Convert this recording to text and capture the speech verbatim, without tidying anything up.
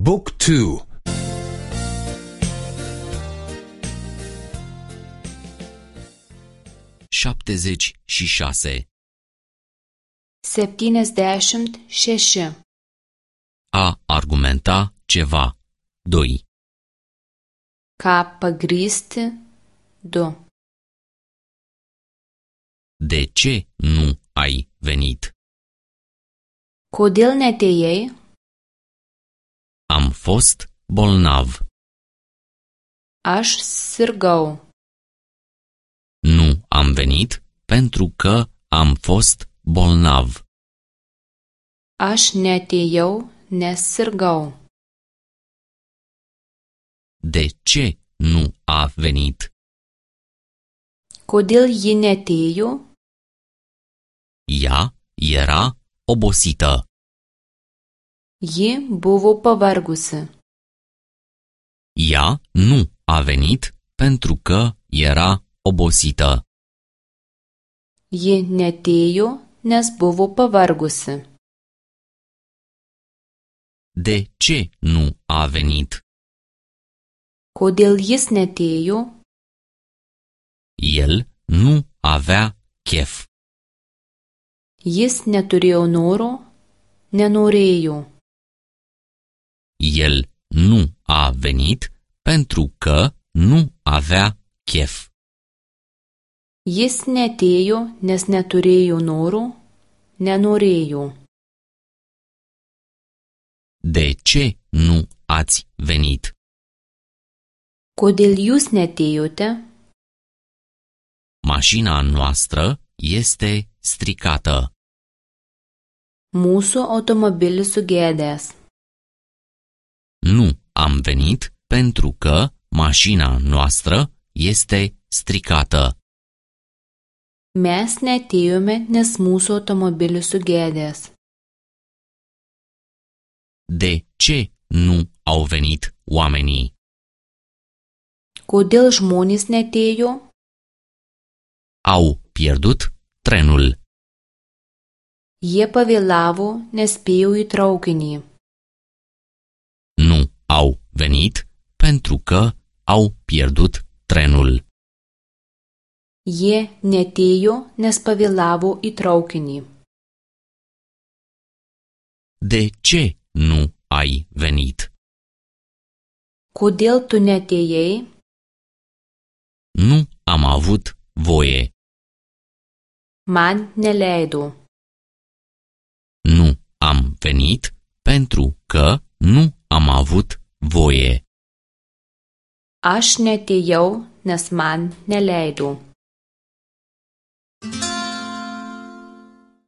Book two. șaptezeci și șase. septyniasdešimt šeši. A argumenta ceva. doi. Ką pagrįsti. du. De ce nu ai venit? Kodėl neatėjai? Am fost bolnav. Aš sirgau. Nu am venit pentru că am fost bolnav. Aš neatėjau, nes sirgau. De ce nu a venit? Kodėl ji neatėjo? Ea era obosită. Ji buvo pavargusi. Ea nu a venit pentru că era obosită. Ji neatėjo, nes buvo pavargusi. De ce nu a venit? Kodėl jis neatėjo? El nu avea chef. Jis neturėjo noro, nenorėjo. El nu a venit pentru că nu avea chef. Jis neatėjo, nes neturėjo noro, nenorėjo. De ce nu ați venit? Kodėl jūs neatėjote? Mașina noastră este stricată. Mūsų automobilis sugedęs. Nu am venit pentru că mașina noastră este stricată. Mes neatėjome, nes mūsų automobilis sugedęs. De ce nu au venit oamenii? Kodėl žmonės neatėjo? Au pierdut trenul. Jie pavėlavo, nespėjo į traukinį. Nu au venit pentru că au pierdut trenul. Jie neatėjo, nes pavėlavo į traukinį. De ce nu ai venit? Kodėl tu neatėjai? Nu am avut voie. Man neleido. Nu am venit pentru că nu am avut voie. Aš neatėjau, nes man neleido.